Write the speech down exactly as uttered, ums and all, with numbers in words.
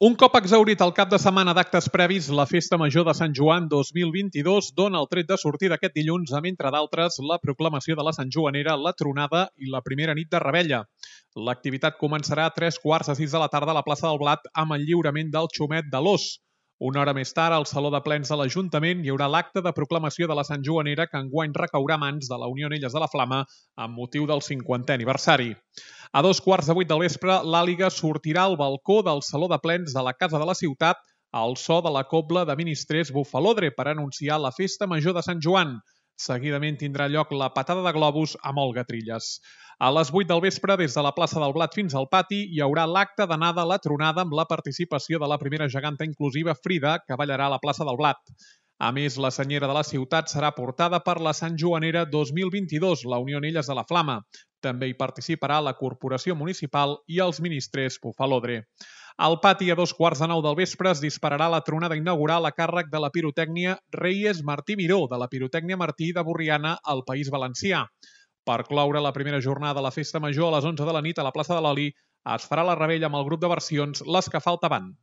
Un cop exhaurit el cap de setmana d'actes previs, la Festa Major de Sant Joan dos mil vint-i-dos dona el tret de sortida aquest dilluns amb, entre d'altres, la proclamació de la Sant Joanera, la tronada i la primera nit de revetlla. L'activitat començarà a tres quarts de sis de la tarda a la plaça del Blat amb el lliurament del xumet de l'Ós. Una hora més tard, al Saló de Plens de l'Ajuntament, hi haurà l'acte de proclamació de la Sant Joanera que enguany recaurà a mans de la Unió Anelles de la Flama amb motiu del cinquantè aniversari. A dos quarts de vuit del vespre, l'Àliga sortirà al balcó del Saló de Plens de la Casa de la Ciutat al so de la cobla de ministrers Bufalodre per anunciar la Festa Major de Sant Joan. Seguidament tindrà lloc la patada de globus amb Olga Trilles. A les vuit del vespre, des de la plaça del Blat fins al pati, hi haurà l'acte d'anada a la tronada amb la participació de la primera geganta inclusiva Frida, que ballarà a la plaça del Blat. A més, la senyera de la ciutat serà portada per la Sant Joanera dos mil vint-i-dos, la Unió Anelles de la Flama. També hi participarà la Corporació Municipal i els ministrers Bufalodre. Al pati, a dos quarts de nou del vespre, es dispararà la tronada inaugural a càrrec de la pirotècnia Reyes Martí Miró, de la pirotècnia Martí de Borriana, al País Valencià. Per cloure la primera jornada de la Festa Major a les onze de la nit a la plaça de l'Oli, es farà la revetlla amb el grup de versions Les que faltaven.